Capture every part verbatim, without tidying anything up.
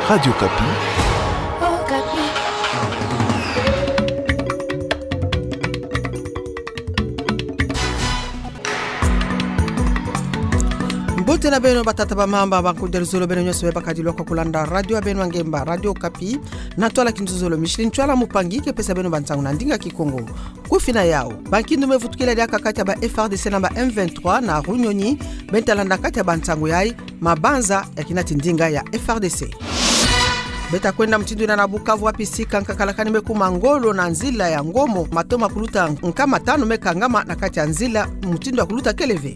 Radio Okapi. Mbote na beno batata, bamama, bankudi, luzolo beno nyonso be bakadi lwaka kulanda radio ya beno ya ngemba, Radio Okapi, na ntwala kinzuzolo. Micheline Ntwala Mupangi ke pesa beno bansangu na ndinga Kikongo. Kufina yau, bankindu me vutukila diaka kati ya ba F R D C na ba M vingt-trois na Runyonyi, beno ta landa kati ya bansangu yai, mabanza ya kinati ndinga ya F R D C. Beta kwenda mutindu ina na Bukavu, wapi sika nkaka lakani me kuma ngolo na nzila ya Ngomo, matoma kuluta nkama tanu me kangama na kati ya nzila, mutindu ya kuluta kele ve.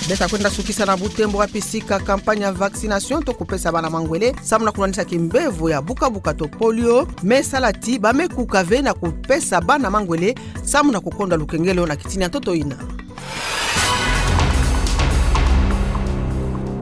Beta kwenda sukisa na Butembo, wapi sika campagne ya vaccination to kupesa bana mangwele samu na kunwanisa kimbevo ya buka-buka to polio me sala ti ba me kuka ve na kupesa bana mangwele samu na kukondwa lukengelo na kitini ya ntoto ina.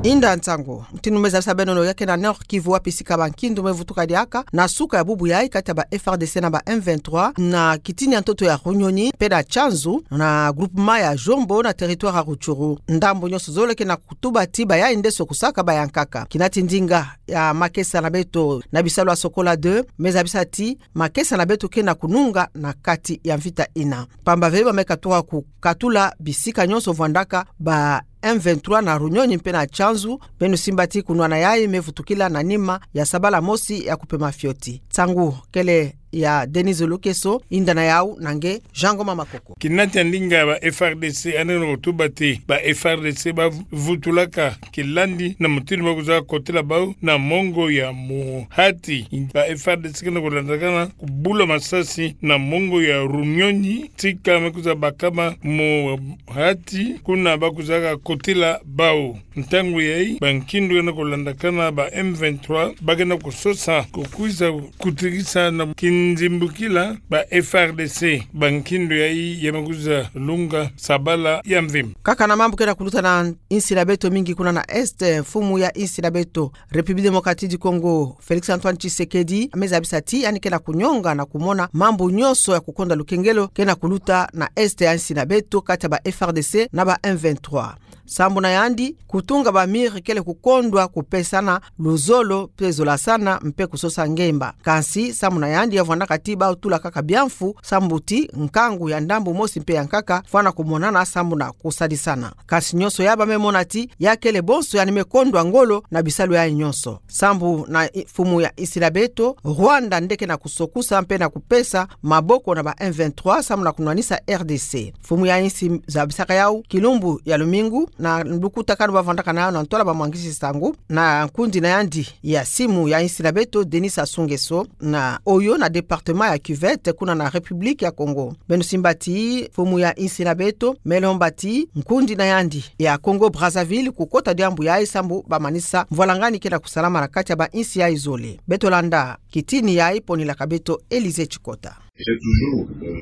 Inda nsangu. Mutindu me zabisa beno no, ya ke na Nord-Kivu, wapi sika bankindu me vutuka diaka na suka ya bubu yai kati ya ba F R D C na ba M vingt-trois na kitini ya ntoto ya Runyonyi mpe na Tchanzu na groupement ya Djombo na territoire ya Rutshuru. Ndambu nyonso zole ke na kutuba ti ba yai ndeso kusaka ba yankaka. Kinati ndinga ya makesa na beto na bisalu ya Sokola deux me zabisa ti makesa na beto ke na kununga na kati ya mvita ina. Pamba ve ba me katuka kukatula bisika nyonso vwandaka ba M vingt-trois na Runyonyi mpe na Tchanzu, beno simba ti kunwana yai me vutukila na nima ya sabala mosi ya kupema fioti. Nsangu kele ya Denise Lukeso, inda na yau na nge Jean Ngoma Makoko. Kinati ndinga ba F R D C, yandi ke na kutuba ti ba F R D C ba vutulaka kilandi na mutindu ba kwiza kotila bau na mongo ya muhati. Ba F R D C ke na kulandakana kubula masasi na mongo ya Runyonyi, sika me kwiza bakama muhati, kuna ba kwizaka kotila bau. Ntangu yai, bankindu ke na kulandakana ba M vingt-trois ba ke na kusosa kukwiza kutikisa na kinzimbukila ba F R D C bankindu yai ya me kwiza lunga sabala ya mvimba. Kaka na mambu ke na kuluta na insi na beto, mingi kuna na Est, mfumu ya insi na beto République Démocratique du Congo, Félix Antoine Tshisekedi, me zabisa ti yandi ke na kunyonga na kumona mambu nyonso ya kukondwa lukengelo ke na kuluta na Est ya insi na beto kati ya ba F R D C na ba M vingt-trois. Sambu na yandi, kutunga ba mur kele kukondwa kupesana luzolo mpe zolasana mpe kusosa ngemba. Kansi sambu na yandi, ya vwandaka ti ba tula kaka biamfu sambu ti nkangu ya ndambu mosi mpe ya nkaka fwana kumonana sambu na kusadisana. Kansi nyonso ya ba me mona ti ya kele bonso yandi me kondwa ngolo na bisalu yai nyonso. Sambu na i-, mfumu ya insi na beto, Rwanda nde ke na kusokusa mpe na kupesa maboko na ba M vingt-trois samu na kunwanisa R D C. Mfumu ya insi zabisaka yau kilumbu ya lumingu na lukutakanu ba vandaka na yau na ntwala ba mwangisi nsangu na nkundi na yandi ya simu ya insi na beto, Denis Sassou Nguesso, na oyo na département ya Cuvette, kuna na République ya Congo. Beno simba ti mfumu ya insi na beto me lomba ti nkundi na yandi ya Congo Brazzaville kukota diambu yai sambu ba manisa mvwalangani ke na kusalama na kati ya ba insi yai zole. Beto landa kitini yai, ponilaka beto Élysée Tshikota.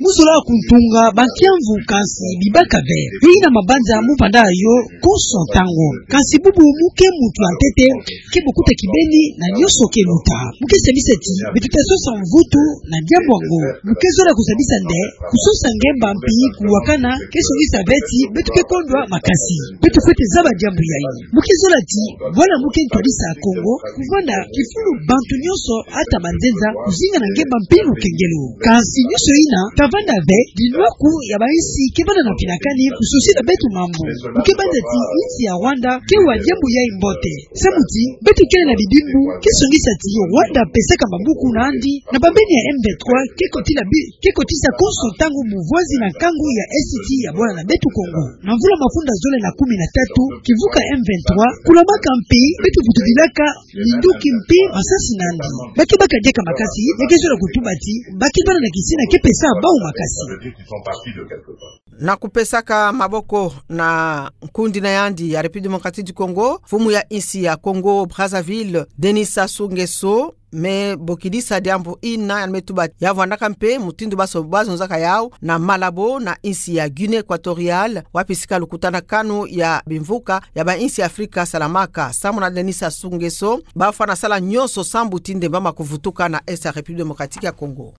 Mu zola kuntunga ba kiamvu, kansi bibaka ve. Yo ina mabanza mu vanda yo konso ntangu. Kansi bubu mu ke muntu ya ntete, ke bokuta kibeni na nyonso ke luta. Mu ke sabisa ti beto ta sosa mvutu na diambu yango. Mu ke zola kusabisa nde kusosa ngemba mpi kuwakana ke songisa ve ti beto ke kondwa makasi. Beto fwete zaba diambu yai. Mu ke zola ti bwala mu ke ntwadisa Congo kuvanda kifulu bantu nyonso, ata banzenza, kuzinga na ngemba mpi lukengelo. Kansi nyonso ina ta vanda ve, dinwaku ya ba insi ke vanda na mpinakani kusosila beto mambu. Mu ke banza ti insi ya Rwanda ke wa diambu yai mbote. Samu ti beto kele na bibimbu ke songisa ti Rwanda pesaka mabuku na yandi na bambeni ya M vingt-trois ke kotila bi-, ke kotisa konso ntangu muvozi na nkangu ya Est ya bwala na beto Congo. Na mvula mafunda zole na kumi na tatu, kivuka M vingt-trois kulamaka mpi, beto vutubilaka minduki mpi masasi na yandi. Ba ke baka diaka makasi, ya ke zola kutuba ti ba ke vanda na kisina ke pesa bau makasi. Na kupesaka maboko na nkundi na yandi ya République Démocratique du Congo, mfumu ya insi ya Congo Brazzaville, Denis Sassou Nguesso, me bokidisa diambu ina, yandi me tuba ya vwandaka mpe mutindu baso-, bazonzaka yau na Malabo na insi ya Guinée Équatoriale, wapi sika lukutanakanu ya bimvuka ya bainsi ya Afrika salamaka. Samu na Denis Sassou Nguesso, bafwana sala nyonso sambu ti ndemba ma kuvutuka na Est ya République Démocratique ya Congo.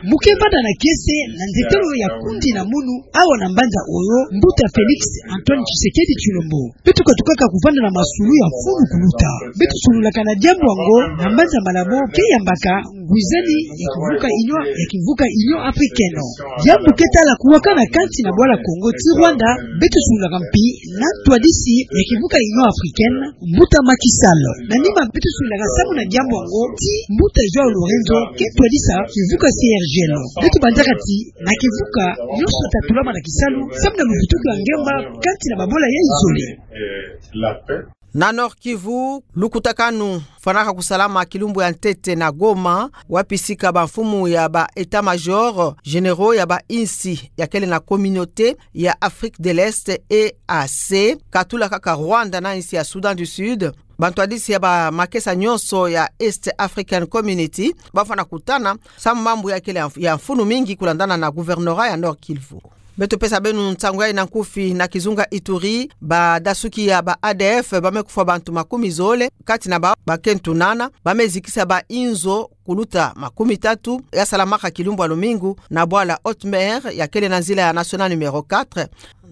Mu kevanda na kiese na nzetelo ya kundi na munu awa na mbanza oyo, mbuta Félix Antoine Tshisekedi Tshilombo. Beto katukaka kuvanda na masulu ya mfunu kuluta. Beto sololaka na diambu yango na mbanza Malabo, ke yambaka ngwizani ya kimvuka Union, ya kimvuka Union Africaine. Diambu ke tala kuwakana kansi na bwala Congo ti Rwanda, beto sololaka mpi na ntwadisi ya kimvuka Union Africaine, mbuta Macky Sall. Na nima beto sololaka samu na diambu yango ti mbuta João Lourenço, ke ntwadisi ya kimvuka C R G L. Beto banzaka ti na kimvuka nyonso tatulama na kisalu samu na luvutuki ya ngemba kansi na babwala ya izole. Na Nord-Kivu, lukutakanu fwanaka kusalama kilumbu ya ntete na Goma, wapi sika bamfumu ya ba états-majors généraux ya bainsi ya kele na Communauté ya Afrique de l'Est, E A C, katula kaka Rwanda na insi ya Soudan du Sud, bantwadisi ya bamakesa nyonso ya East African Community, bafwana kutana samu mambu ya kele ya mf-, ya mfunu mingi kulandana na gouvernorat ya Nord-Kivu. Beto pesa beno nsangu yayi na nkufi. Na kizunga Ituri, badasuki ya ba A D F bame kufwa bantu makumi zole, kati na bau bakento nana, bame zikisa bainzo kuluta makumi tatu, yasalamaka kilumbu ya lumingu na bwala Haute Mer ya kele na nzila ya nationale numéro quatre,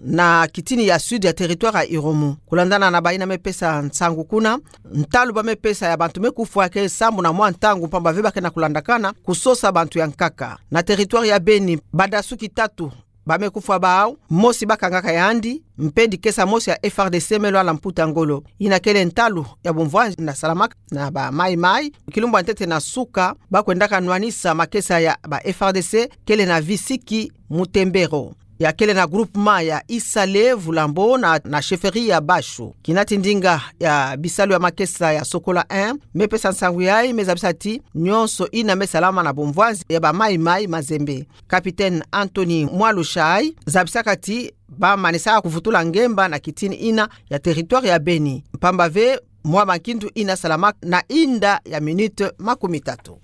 na kitini ya sud ya territoire ya Irumu. Kulandana na bayina me pesa nsangu kuna, ntalu bame pesa ya bantu me kufwa ke sambu na mwa ntangu, mpamba ve bake na kulandakana kusosa bantu ya nkaka. Na territoire ya Beni, badasuki tatu bame kufwa bau, mosi bakangaka yandi, mpe dikesa mosi ya F A R D C me lwala mputa ngolo. Yina kele ntalu ya bumvwanzi yina salamaka na ba Mai-Mai kilumbu ya ntete na suka, bakwendaka nwanisa makesa ya ba F A R D C kele na Visiki Mutembero, ya kele na groupement ya Isale Vulambo na, na chefferie ya Bashu. Kinati ndinga ya bisalu ya makesa ya Sokola un me pesa nsangu yayi, me zabisa ti nyonso yina me salama na bumvwanzi ya ba Mai-Mai Mazembe. Capitaine Anthony Mwalushai zabisaka ti bamanisaka kuvutula ngemba na kitini yina ya territoire ya Beni, mpamba ve mwa bankindu yina salamaka na inda ya minute makumi tatu.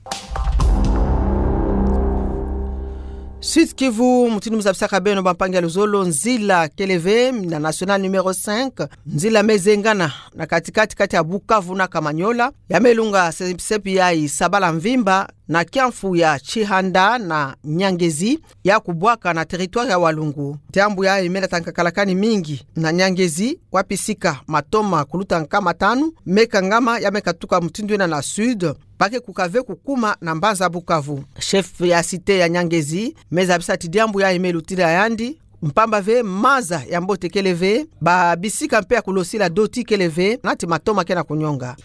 Sud-Kivu, mutindu muzabisaka beno, bampangi ya luzolo, nzila kele ve na nationale numéro cinq, nzila me zengana na katikati kati ya Bukavu na Kamanyola, ya me lunga se-, sepi yayi sabala mvimba, na kiamfu ya Tshihanda na Nyangezi, ya kubwaka na territoire ya Walungu. Diambu yayi me lata nkakalakani mingi na Nyangezi, wapi sika matoma kuluta nkama tanu me kangama, ya me katuka mutindu yina na sud, bake kuka ve kukuma na mbanza Bukavu. Chef ya cité ya Nyangezi me zabisa ti diambu yayi me lutila yandi, mpamba ve maza ya mbote kele ve, babisika mpe ya kulosila doti kele ve, nati matoma ke na kunyonga.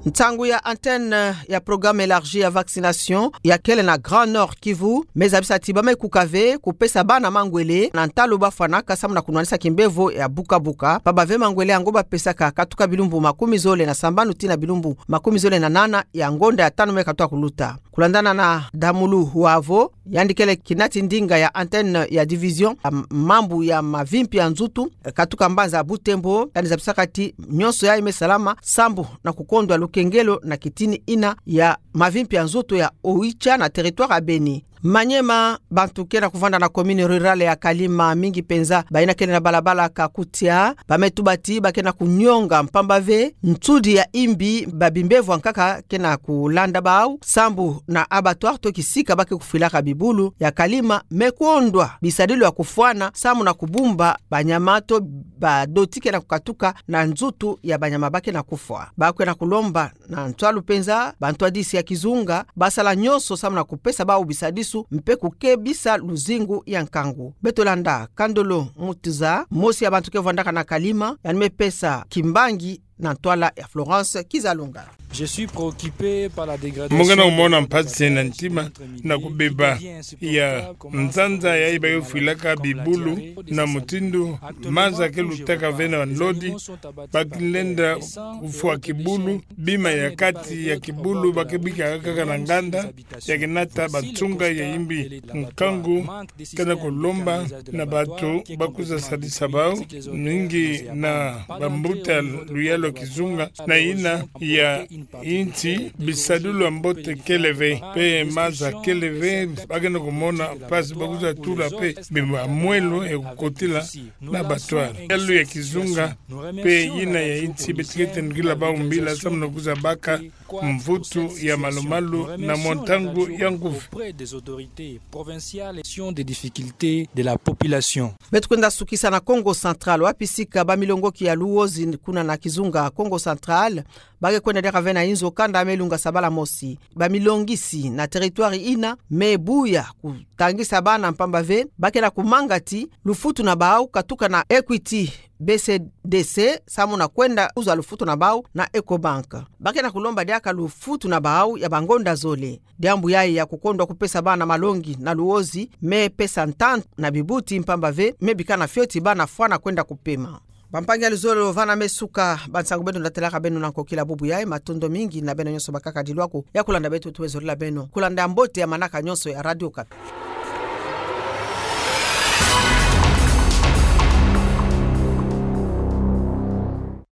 Nsangu ya antenne ya programme élargi ya vaccination ya kele na Grand Nord Kivu me zabisa ti bame kuka ve kupesa bana mangwele na ntalu bafwanaka samu na kunwanisa kimbevo ya buka-buka, mpamba ve mangwele yango bapesaka katuka bilumbu makumi zole na sambanu tii na bilumbu makumi zole na nana ya ngonda ya tanu me katuka kuluta. Kulandana na Damulu Huavo, yandi kele kinati ndinga ya antenne ya division ya mambu ya mavimpi ya nzutu, eh, katuka mbanza Butembo, yandi zabisaka ti nyonso yayi me salama sambu na kukondwa lukengelo na kitini yina ya mavimpi ya nzutu ya Oicha na territoire ya Beni. Maniema, bantu ke na kuvanda na commune rurale ya Kalima, mingi penza bayina kele na balabala Kakutia, bame tuba ti bake na kunyonga mpamba ve nsudi ya imbi ba bimbevo ya nkaka ke na kulanda bau, sambu na abattoir to kisika bake kufwilaka bibulu ya Kalima me kondwa bisadilu ya kufwana samu na kubumba banyama to badoti ke na kukatuka na nzutu ya banyama bake na kufwa. Bake na kulomba na ntwalu penza bantwadisi ya kizunga basala nyonso samu na kupesa bau bisadisu mpe kukebisa luzingu ya nkangu. Beto landa Kandolo Mutuza, mosi ya bantu ke vandaka na Kalima, yandi me pesa kimbangi na ntwala ya Florence Kizalunga. Mo ke na kumona mpasi na ntima na kubeba ya nzanza yayi bayofilaka bibulu, na mutindu maza ke lutaka ve na nlodi, ba ke lenda kufwa kibulu, bima ya kati ya kibulu ba ke bikaka kaka na nganda, ya ke nata bansunga ya imbi nkangu, ke na kulomba na bato ba kwiza sadisa bau, mingi na bambuta luyalu ya kizunga, na yina ya insi bisadulu ya mbote kele ve, pe maza kele ve, ba ke na kumona mpasi ba kwiza tula pe bima mwelo ya kukotila na bato. Luyalu ya kizunga pe yina ya insi beto ke tendukila bau mbila samu na kwiza baka mvutu ya malumalu na mwa ntangu ya nguvi. Auprès des autorités provinciales, sur les difficultés de la population. Beto kwenda sukisa na Kongo Central, wapi sika bamilongoki ya Luozi kuna na kizunga Kongo Central ba ke kwenda diaka ve na inzo kanda me lunga sabala mosi. Bamilongisi na territoire yina me buya kutangisa bana mpamba ve ba ke na kumanga ti lufutu na bau katuka na Equity, B C D C, samu na kwenda uza lufutu na bau na Ecobank. Ba ke na kulomba diaka lufutu na bau ya bangonda zole. Diambu yayi ya kukondwa kupesa bana malongi na Luozi me pesa ntantu na bibuti mpamba ve me bika na fioti bana fwana kwenda kupema. Bampangi ya luzolo, vana me suka bansangu beno natelaka beno na nkokila bubu yayi. Matondo mingi na beno nyonso bakaka dilwaku ya kulanda beto, tuwezolila beno kulanda mbote ya manaka nyonso ya Radio Okapi.